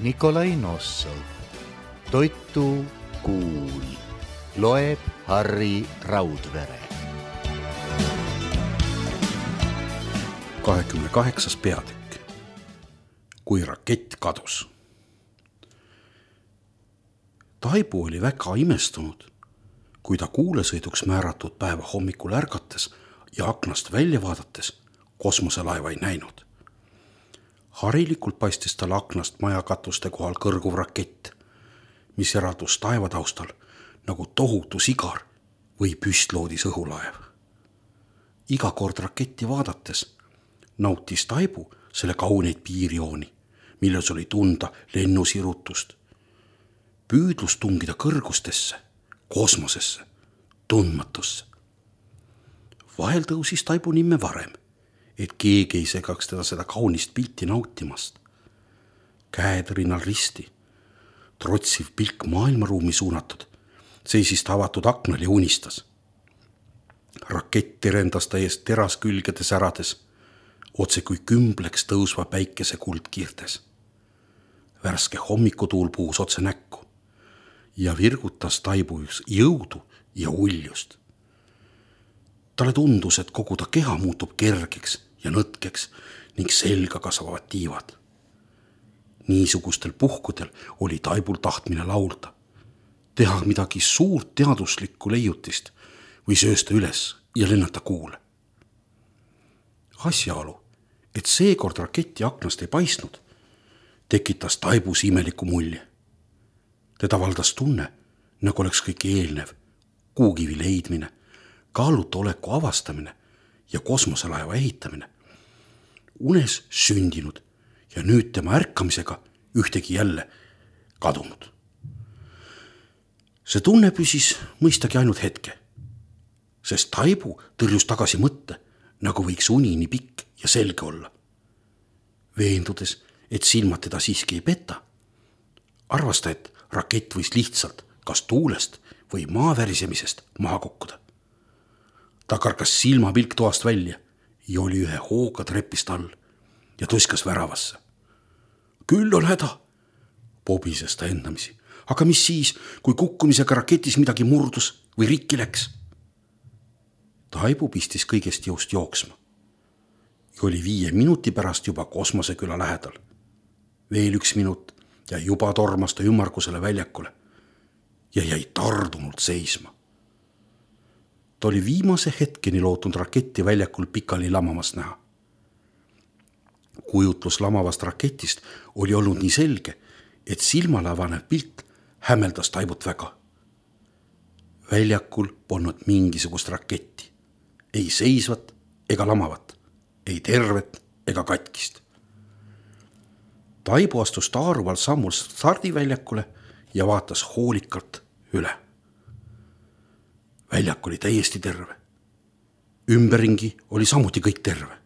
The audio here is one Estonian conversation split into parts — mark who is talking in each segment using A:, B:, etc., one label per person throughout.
A: Nikolai Nossov. Toitu kuul. Loeb Harri Raudvere.
B: 28. peatükk. Kui rakett kadus. Taibu oli väga imestunud, kui ta kuulesõiduks määratud päeva hommikul ärgates ja aknast välja vaadates kosmoselaeva ei näinud. Harilikult paistis tal aknast majakatuste kohal kõrguv rakett, mis eraldus taevataustal nagu tohutu sigar või püstloodis õhulaev. Iga kord raketti vaadates nautis Taibu selle kauneid piirjooni, milles oli tunda lennusirutust, püüdlus tungida kõrgustesse, kosmosesse, tundmatusse. Vahel tõusis Taibu nimme varem, et keegi ei segaks teda seda kaunist pilti nautimast. Käed rinnal risti, trotsiv pilk maailmaruumi suunatud, seisis ta avatud aknal ja unistas. Rakett terendas ta eest teras külgede särades, otse kui kümbleks tõusva päikese kuldkiirtes. Värske hommikutuul puhus otse näkku ja virgutas Taibu jõudu ja uljust. Talle tundus, et kogu ta keha muutub kergeks ja nõtkeks ning selga kasvavad tiivad. Niisugustel puhkudel oli Taibul tahtmine laulda, teha midagi suurt teaduslikku leiutist või söösta üles ja lennata kuule. Asjaolu, et seekord raketi aknast ei paistnud, tekitas Taibus imeliku mulje. Teda valdas tunne, nagu oleks kõik eelnev, kuugivi leidmine, kaaluta oleku avastamine ja kosmoselaeva ehitamine unes sündinud ja nüüd tema ärkamisega ühtegi jälle kadunud. See tunne püsis mõistagi ainult hetke, sest Taibu tõrjus tagasi mõtte, nagu võiks uni nii pikk ja selge olla. Veendudes, et silmad teda siiski ei peta, arvas ta, et rakett võis lihtsalt kas tuulest või maavärisemisest maha kukkuda. Ta karkas silmapilk toast välja ja oli ühe hooga trepist all ja tuskas väravasse. Küll on häda, pobises ta endamisi. Aga mis siis, kui kukkumisega raketis midagi murdus või rikki läks? Taibu pistis kõigest jõust jooksma ja oli 5 minuti pärast juba kosmoseküla lähedal. Veel 1 minut ja juba tormas ta ümmargusele väljakule ja jäi tardunult seisma. Ta oli viimase hetkeni lootnud raketti väljakul pikali lamamas näha. Kujutlus lamavast raketist oli olnud nii selge, et silmale avanev pilt hämmeldas Taibut väga. Väljakul polnud mingisugust raketti, ei seisvat ega lamavat, ei tervet ega katkist. Taibu astus taaruval sammul stardiväljakule ja vaatas hoolikalt üle. Väljak oli täiesti terve. Ümberringi oli samuti kõik terve.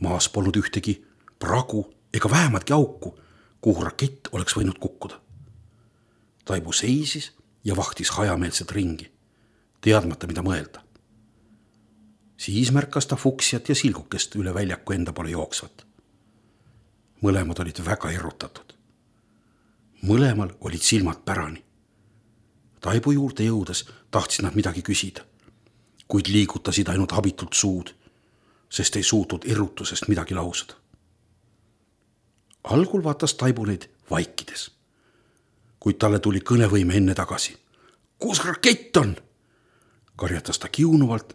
B: Maas polnud ühtegi pragu ega vähematki auku, kuhu rakett oleks võinud kukkuda. Taibu seisis ja vahtis hajameelset ringi, teadmata mida mõelda. Siis märkas ta fuksiat ja silgukest üle väljaku enda poole jooksvat. Mõlemad olid väga erutatud. Mõlemal olid silmad pärani. Taibu juurde jõudes tahtsid nad midagi küsida, kuid liigutasid ainult abitult suud, sest ei suutnud erutusest midagi lausada. Algul vaatas Taibu neid vaikides, kuid talle tuli kõnevõime enne tagasi. Kus rakett on? Karjatas ta kiunuvalt,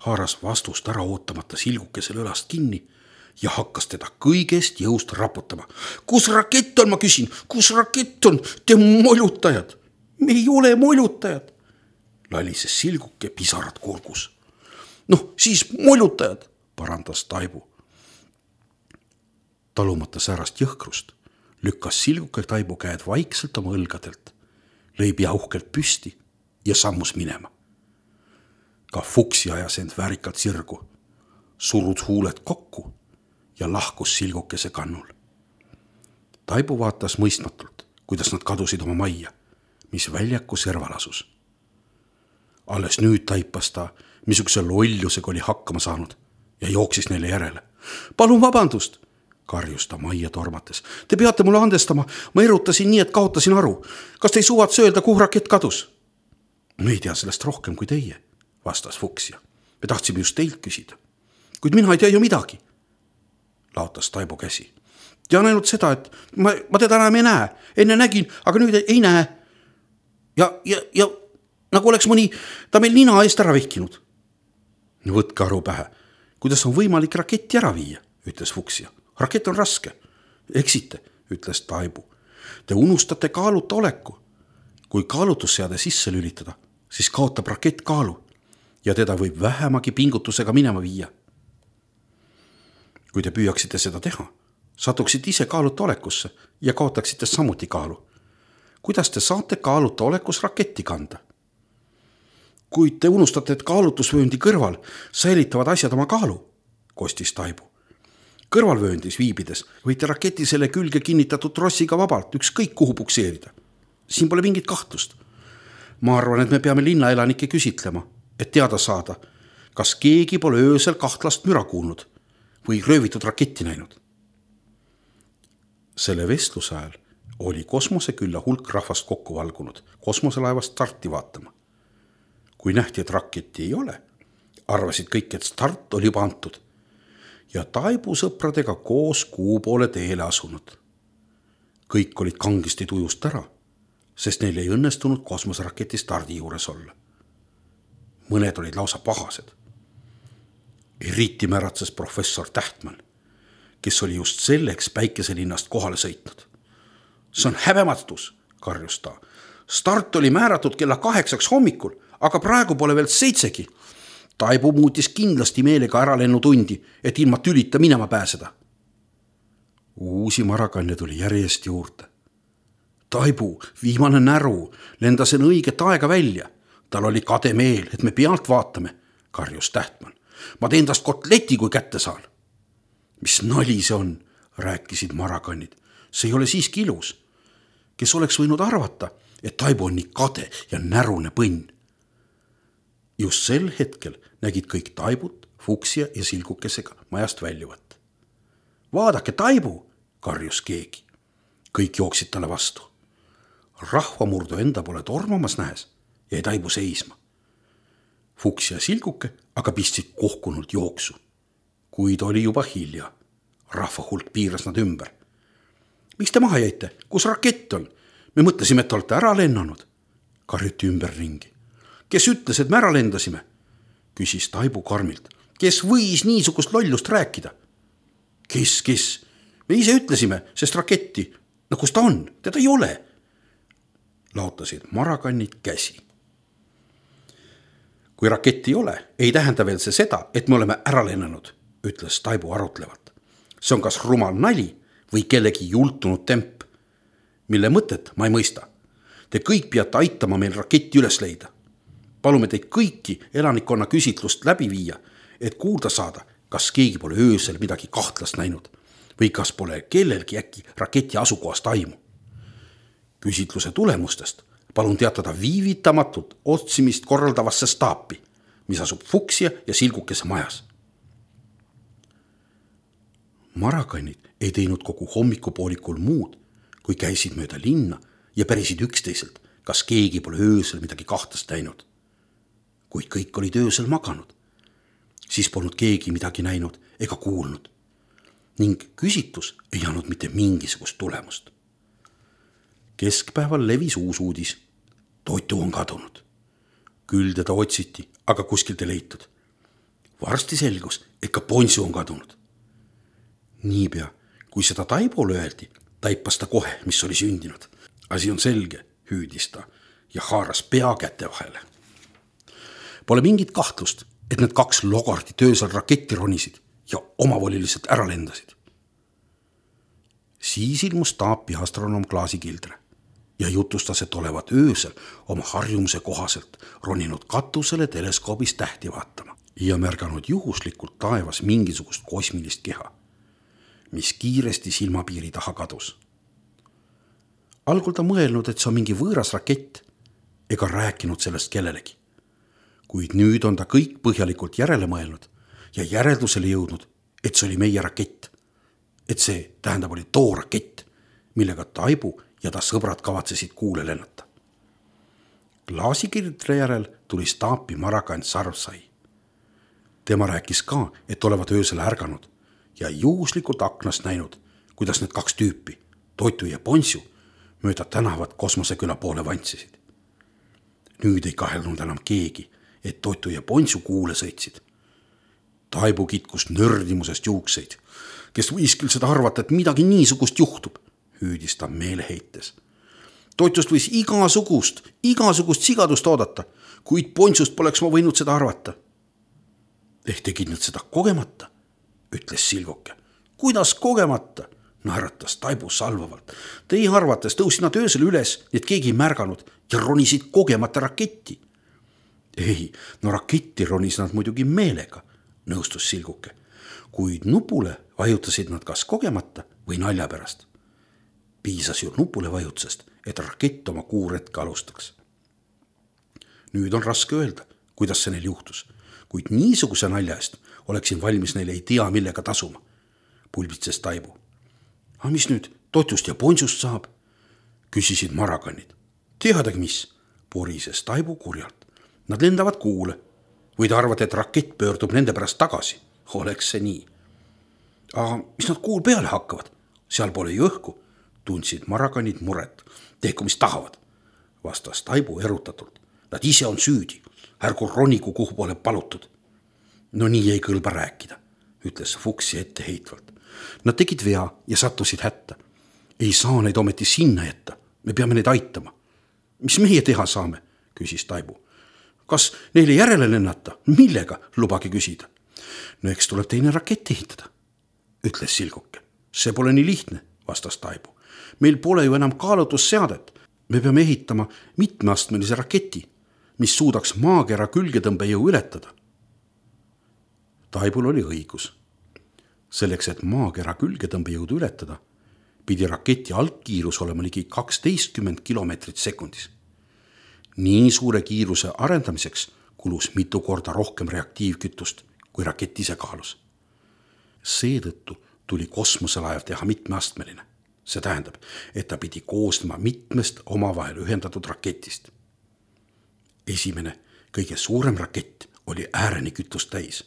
B: haaras vastust ära ootamata silgukesel õlast kinni ja hakkas teda kõigest jõust raputama. Kus rakett on, ma küsin? Kus rakett on? Te molutajad! Me ei ole molutajad! Lalises silguke pisarad kurgus. Noh, siis molutajad, parandas Taibu. Talumata säärast jõhkrust lükkas silguke Taibu käed vaikselt oma õlgadelt, lõi pea uhkelt püsti ja sammus minema. Ka fuksi ajas end väärikalt sirgu, surud huuled kokku ja lahkus silgukese kannul. Taibu vaatas mõistmatult, kuidas nad kadusid oma majja, mis väljaku serval asus. Alles nüüd taipas ta, missuguse lollusega oli hakkama saanud ja jooksis neile järele. Palun vabandust, karjus ta majja tormates. Te peate mulle andestama, ma erutasin nii, et kaotasin aru. Kas te ei suvatse öelda, kuhu rakett kadus? Me ei tea sellest rohkem kui teie, vastas Fuchsia. Me tahtsime just teilt küsida. Kuid mina ei tea ju midagi, laotas Taibo käsi. Tean ainult seda, et ma teda enam ei näe. Enne nägin, aga nüüd ei näe. Ja nagu oleks mõni ta meil nina eest ära vihkinud. Võtke aru pähe, kuidas on võimalik raketti ära viia, ütles Fuchsia. Rakett on raske. Eksite, ütles Taibu. Te unustate kaaluta oleku. Kui kaalutusseade sisse lülitada, siis kaotab rakett kaalu ja teda võib vähemagi pingutusega minema viia. Kui te püüaksite seda teha, satuksite ise kaaluta olekusse ja kaotaksite samuti kaalu. Kuidas te saate kaaluta olekus raketti kanda? Kuid te unustate, et kaalutusvööndi kõrval säilitavad asjad oma kaalu, kostis Taibu. Kõrvalvööndis viibides võite raketi selle külge kinnitatud trossiga vabalt ükskõik kuhu pukseerida. Siin pole mingit kahtlust. Ma arvan, et me peame linnaelanikke küsitlema, et teada saada, kas keegi pole öösel kahtlast müra kuulnud või röövitud raketti näinud. Selle vestluse ajal oli kosmosekülla hulk rahvast kokku valgunud kosmoselaevast starti vaatama. Kui nähti, et raketti ei ole, arvasid kõik, et start oli juba antud ja Taibu sõpradega koos kuu poole teele asunud. Kõik olid kangesti tujust ära, sest neil ei õnnestunud kosmoseraketi stardi juures olla. Mõned olid lausa pahased. Eriti märatses professor Tähtmann, kes oli just selleks päikeselinnast kohale sõitnud. See on häbematus, karjus ta. Start oli määratud kella 8 hommikul, aga praegu pole veel 7. Taibu muutis kindlasti meelega ära lennutundi, et ilma tülita minema pääseda. Uusi marakanne tuli järjest juurde. Taibu, viimane näru, lendas enne õiget aega välja. Tal oli kade meel, et me pealt vaatame, karjus Tähtmann. Ma teen tast kotleti, kui kätte saan. Mis nali see on, rääkisid marakannid. See ei ole siiski ilus. Kes oleks võinud arvata, et Taibu on nii kade ja närune põnn. Just sel hetkel nägid kõik Taibut, Fuchsia ja Silgukesega majast väljuvat. Vaadake, Taibu, karjus keegi. Kõik jooksid talle vastu. Rahvamurdu enda pole tormamas nähes jäi Taibu seisma. Fuchsia ja Silguke aga pistsid kohkunult jooksu. Kuid oli juba hilja. Rahva hulk piiras nad ümber. Miks te maha jäite? Kus rakett on? Me mõtlesime, et olete ära lennanud. Karjuti ümber ringi. Kes ütles, et me ära lendasime? Küsis Taibu karmilt. Kes võis niisugust lollust rääkida? Kes? Me ise ütlesime, sest raketti. No kus ta on? Teda ei ole. Laotasid marakannid käsi. Kui raketti ei ole, ei tähenda veel see seda, et me oleme ära lennanud, ütles Taibu arutlevalt. See on kas rumal nali või kellegi jultunud temp, mille mõtet ma ei mõista. Te kõik peate aitama meil raketti üles leida. Palume teid kõiki elanikkonna küsitlust läbi viia, et kuulda saada, kas keegi pole öösel midagi kahtlast näinud või kas pole kellelgi äkki raketi asukohast aimu. Küsitluse tulemustest palun teatada viivitamatult otsimist korraldavasse staapi, mis asub Fuchsia ja Silgukese majas. Marakannid ei teinud kogu hommikupoolikul muud, kui käisid mööda linna ja pärisid üksteiselt, kas keegi pole öösel midagi kahtlast näinud. Kuid kõik olid öösel maganud. Siis polnud keegi midagi näinud ega kuulnud. Ning küsitlus ei andnud mitte mingisugust tulemust. Keskpäeval levis uus uudis. Toitu on kadunud. Küll teda otsiti, aga kuskilt ei leitud. Varsti selgus, et ka Ponsu on kadunud. Niipea, kui seda Taibole öeldi, taipas ta kohe, mis oli sündinud. Asi on selge, hüüdis ta ja haaras pea käte vahele. Pole mingit kahtlust, et need 2 logardit öösel raketti ronisid ja omavoliliselt ära lendasid. Siis ilmus taapi astronoom Klaasi Kildre ja jutustas, et olevat öösel oma harjumuse kohaselt roninud katusele teleskoobis tähti vaatama ja märganud juhuslikult taevas mingisugust kosmilist keha, mis kiiresti silmapiiri taha kadus. Algul ta mõelnud, et see on mingi võõras rakett ega rääkinud sellest kellelegi. Kuid nüüd on ta kõik põhjalikult järele mõelnud ja järeldusele jõudnud, et see oli meie rakett. et see tähendab oli too rakett, millega Taibu ja ta sõbrad kavatsesid kuule lennata. Klaasikirtre järel tuli staapi Marakant Sarvsai. Tema rääkis ka, et olevat öösel ärganud ja juhuslikult aknast näinud, kuidas need kaks tüüpi, Toitu ja Ponsu, mööda tänavat Kosmoseküla poole vantsisid. Nüüd ei kahelnud enam keegi, et Toitu ja Ponsu kuule sõitsid. Taibu kitkus nördimusest juukseid, kes võis küll seda arvata, et midagi niisugust juhtub, hüüdis ta meeleheites. Toitust võis igasugust sigadust oodata, kuid Ponsust poleks ma võinud seda arvata. Ehk tegid nad seda kogemata, ütles Silguke. Kuidas kogemata? Naeratas Taibu salvavalt. Teie arvates tõusid nad öösel üles, et keegi ei märganud ja ronisid kogemata raketti. Ei, no raketti ronis nad muidugi meelega, nõustus Silguke, kuid nupule vajutasid nad kas kogemata või nalja pärast. Piisas ju nupule vajutusest, et rakett oma kuuretke alustaks. Nüüd on raske öelda, kuidas see neil juhtus, kuid niisuguse nalja eest oleksin valmis neile ei tea millega tasuma, pulbitses Taibu. Aga mis nüüd Toitust ja Ponsust saab? Küsisid Marakanid. Teadagi mis, porises Taibu kurjalt. Nad lendavad kuule. Või te arvate, et rakett pöördub nende pärast tagasi? Oleks see nii. Aga mis nad kuul peale hakkavad? Seal pole ju õhku, tundsid Marakanid muret. Tehku mis tahavad, vastas Taibu erutatult. Nad ise on süüdi, ärgu ronigu kuhu pole palutud. No nii ei kõlba rääkida, ütles Fuksi etteheitvalt. Nad tegid vea ja sattusid hätta. Ei saa neid ometi sinna jätta, me peame neid aitama. Mis meie teha saame, küsis Taibu. Kas neile järele lennata? Millega, lubage küsida? No eks tuleb teine rakett ehitada, ütles Silguke. See pole nii lihtne, vastas Taibu. Meil pole ju enam kaalutusseadet. Me peame ehitama mitmeastmelise raketi, mis suudaks maakera külgetõmbejõu ületada. Taibul oli õigus. Selleks, et maakera külgetõmbejõudu ületada, pidi raketi algkiirus olema ligi 12 kilomeetrit sekundis. Nii suure kiiruse arendamiseks kulus mitu korda rohkem reaktiivkütust, kui rakett ise kaalus. Seetõttu tuli kosmoselaev teha mitmeastmeline. See tähendab, et ta pidi koosnema mitmest omavahel ühendatud raketist. Esimene, kõige suurem rakett oli ääreni kütust täis.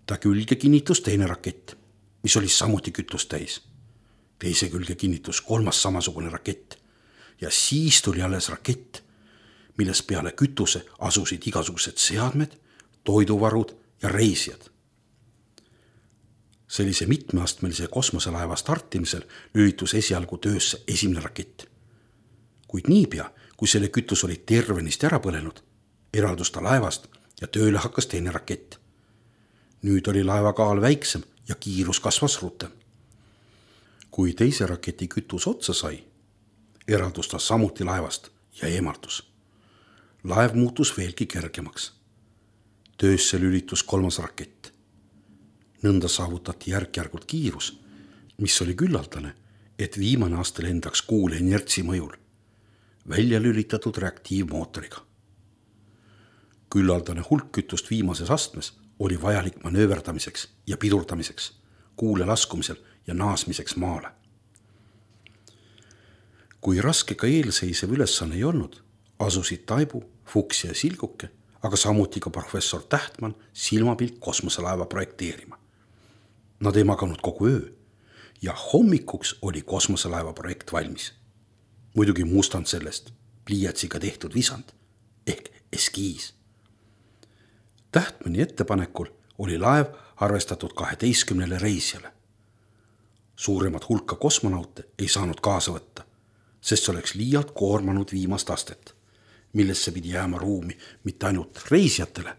B: Ta külge kinnitus teine rakett, mis oli samuti kütust täis. Teise külge kinnitus kolmas samasugune rakett ja siis tuli alles rakett, milles peale kütuse asusid igasugused seadmed, toiduvarud ja reisijad. Sellise mitmeastmelise kosmoselaeva startimisel lülitus esialgu töösse esimene rakett. Kuid niipea, kui selle kütus oli tervenist ära põlenud, eraldus ta laevast ja tööle hakkas teine rakett. Nüüd oli laeva kaal väiksem ja kiirus kasvas rutem. Kui teise raketi kütus otsa sai, eraldus ta samuti laevast ja eemaldus. Laev muutus veelgi kergemaks. Töösse lülitus kolmas rakett. Nõnda saavutati järk-järgult kiirus, mis oli küllaldane, et viimane aste lendaks kuule inertsi mõjul, välja lülitatud reaktiivmootoriga. Küllaldane hulk kütust viimases astmes oli vajalik manööverdamiseks ja pidurdamiseks, kuule laskumisel ja naasmiseks maale. Kui raske ka eelseisev ülesanne ei olnud, asusid Taibu, Fuks ja Silguke, aga samuti ka professor Tähtman silmapilk kosmoselaeva projekteerima. Nad ei maganud kogu öö ja hommikuks oli kosmoselaeva projekt valmis. Muidugi mustand sellest, pliiatsiga tehtud visand ehk eskiis. Tähtmani ettepanekul oli laev arvestatud 12 reisijale. Suuremat hulka kosmonaute ei saanud kaasa võtta, sest see oleks liialt koormanud viimast astet, millesse pidi jääma ruumi mitte ainult reisijatele,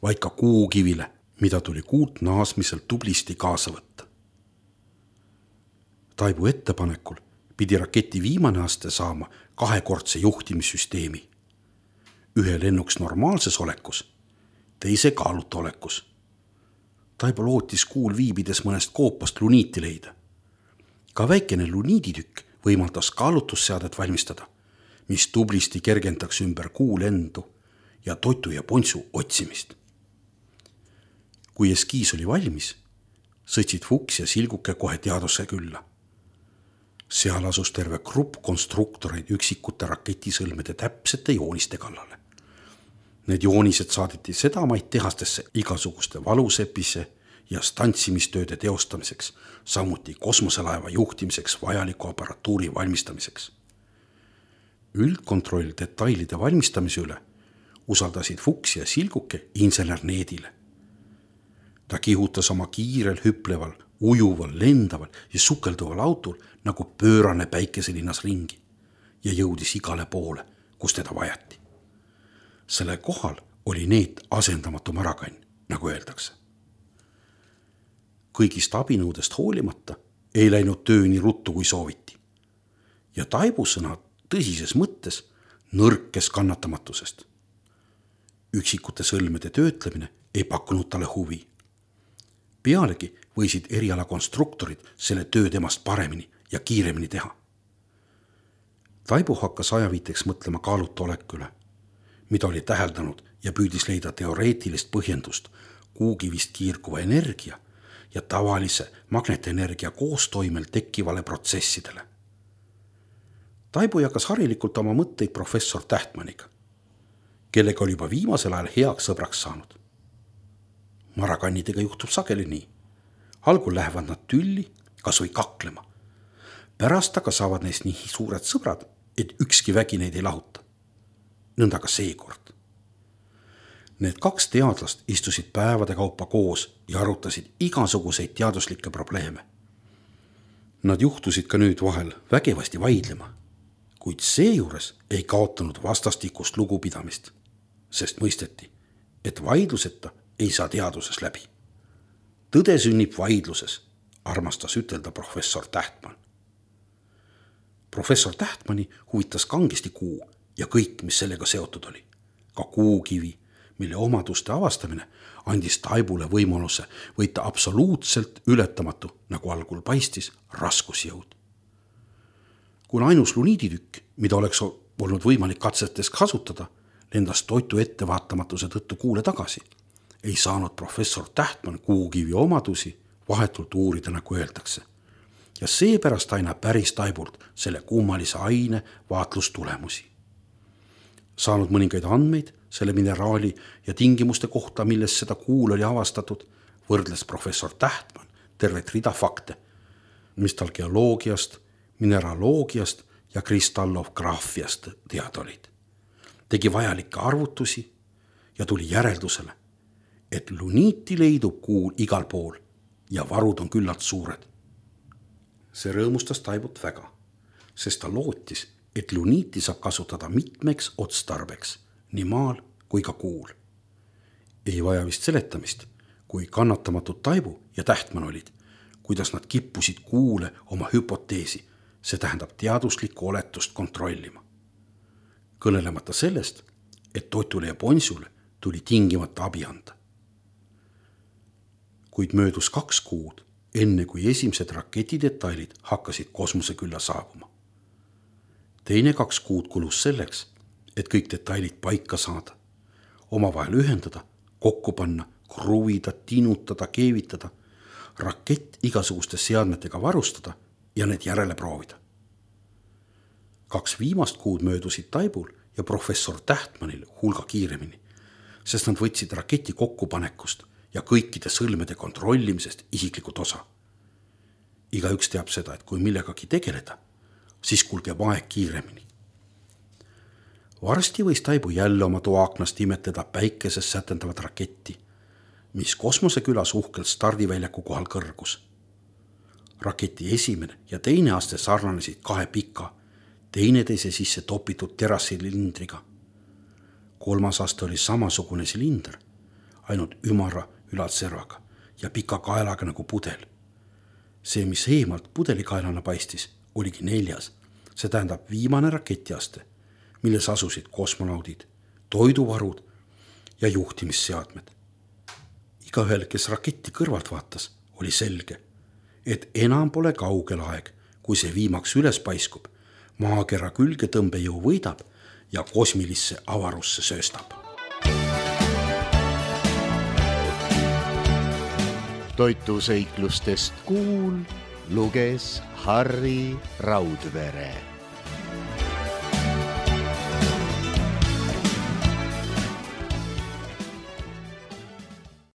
B: vaid ka kuukivile, mida tuli kuult naasmisel tublisti kaasa võtta. Taibu ettepanekul pidi raketi viimane aste saama 2-kordse juhtimissüsteemi. Ühe lennuks normaalses olekus, teise kaaluta olekus. Taibu lootis kuul viibides mõnest koopast luniiti leida. Ka väikene luniiditükk võimaldas kaalutusseadet valmistada, mis tublisti kergendaks ümber kuu lendu ja Toitu ja Ponsu otsimist. Kui eskiis oli valmis, sõitsid Fuchs ja Silguke kohe teadusse külla. Seal asus terve grupp konstruktoreid üksikute raketisõlmede täpsete jooniste kallale. Need joonised saadeti sedamaid tehastesse igasuguste valusepise ja stantsimistööde teostamiseks, samuti kosmoselaeva juhtimiseks vajaliku aparatuuri valmistamiseks. Üldkontroll detailide valmistamise üle usaldasid Fuchs ja Silguke insener Needile. Ta kihutas oma kiirel, hüpleval, ujuval, lendaval ja sukelduval autol nagu pöörane päikeselinnas ringi ja jõudis igale poole, kus teda vajati. Selle kohal oli Neet asendamatu marakann, nagu öeldakse. Kõigist abinõudest hoolimata ei läinud töö nii ruttu, kui sooviti. Ja Taibu sõna tõsises mõttes nõrkes kannatamatusest. Üksikute sõlmede töötlemine ei pakkunud talle huvi. Pealegi võisid erialakonstruktorid selle töö temast paremini ja kiiremini teha. Taibu hakkas ajaviiteks mõtlema kaaluta olekule, mida oli täheldanud ja püüdis leida teoreetilist põhjendust kuugivist kiirguva energia ja tavalise magnetenergia koostoimel tekkivale protsessidele. Taibu jagas harilikult oma mõtteid professor Tähtmaniga, kellega oli juba viimasel ajal heaks sõbraks saanud. Marakannidega juhtub sageli nii. Algul lähevad nad tülli, kas või kaklema. Pärast aga saavad neist nii suured sõbrad, et ükski vägi neid ei lahuta. Nõnda ka seekord. Need kaks teadlast istusid päevade kaupa koos ja arutasid igasuguseid teaduslikke probleeme. Nad juhtusid ka nüüd vahel vägevasti vaidlema, kuid seejuures ei kaotanud vastastikust lugupidamist, sest mõisteti, et vaidluseta ei saa teaduses läbi. Tõde sünnib vaidluses, armastas ütelda professor Tähtman. Professor Tähtmani huvitas kangesti kuu ja kõik, mis sellega seotud oli. Ka kuukivi, mille omaduste avastamine andis Taibule võimaluse võita absoluutselt ületamatu, nagu algul paistis, raskusjõud. Kuna ainus luniiditükk, mida oleks olnud võimalik katsetes kasutada, lendas toitu ettevaatamatuse tõttu kuule tagasi, ei saanud professor Tähtman kuukivi omadusi vahetult uurida, nagu öeldakse. Ja seepärast aina päris Taibult selle kummalise aine vaatlustulemusi. Saanud mõningaid andmeid selle mineraali ja tingimuste kohta, milles seda kuul oli avastatud, võrdles professor Tähtman tervet rida fakte, mis tal geoloogiast, mineraloogiast ja kristallograafiast teada olid. Tegi vajalikke arvutusi ja tuli järeldusele, et luniiti leidub kuul igal pool ja varud on küllalt suured. See rõõmustas Taibut väga, sest ta lootis, et luniiti saab kasutada mitmeks otstarbeks, nii maal kui ka kuul. Ei vaja vist seletamist, kui kannatamatud Taibu ja Tähtman olid, kuidas nad kippusid kuule oma hüpoteesi, see tähendab teaduslikku oletust kontrollima. Kõnelemata sellest, et Totule ja Ponsule tuli tingimata abi anda. Kuid möödus 2 kuud, enne kui esimesed raketidetailid hakkasid kosmosekülla saabuma. Teine 2 kuud kulus selleks, et kõik detailid paika saada, omavahel ühendada, kokku panna, kruvida, tinutada, keevitada, rakett igasuguste seadmetega varustada ja need järele proovida. 2 viimast kuud möödusid Taibul ja professor Tähtmanil hulga kiiremini, sest nad võtsid raketi kokkupanekust ja kõikide sõlmede kontrollimisest isiklikult osa. Igaüks teab seda, et kui millegagi tegeleda, siis kulgeb aeg kiiremini. Varsti võis Taibu jälle oma toaaknast imetleda päikeses sätendavat raketti, mis kosmosekülas uhkelt stardiväljaku kohal kõrgus. Raketi esimene ja teine aste sarnanesid 2 pika, teineteise sisse topitud terassilindriga. 3. aste oli samasugune silinder, ainult ümara ülalservaga ja pika kaelaga nagu pudel. See, mis eemalt pudelikaelana paistis, oligi 4. See tähendab viimane raketiaste, milles asusid kosmonaudid, toiduvarud ja juhtimisseadmed. Igaühel, kes raketti kõrvalt vaatas, oli selge, et enam pole kaugel aeg, kui see viimaks üles paiskub, maakera külge tõmbejõu võidab ja kosmilisse avarusse sööstab.
A: toitusõiklustest kuul luges Harri Raudvere.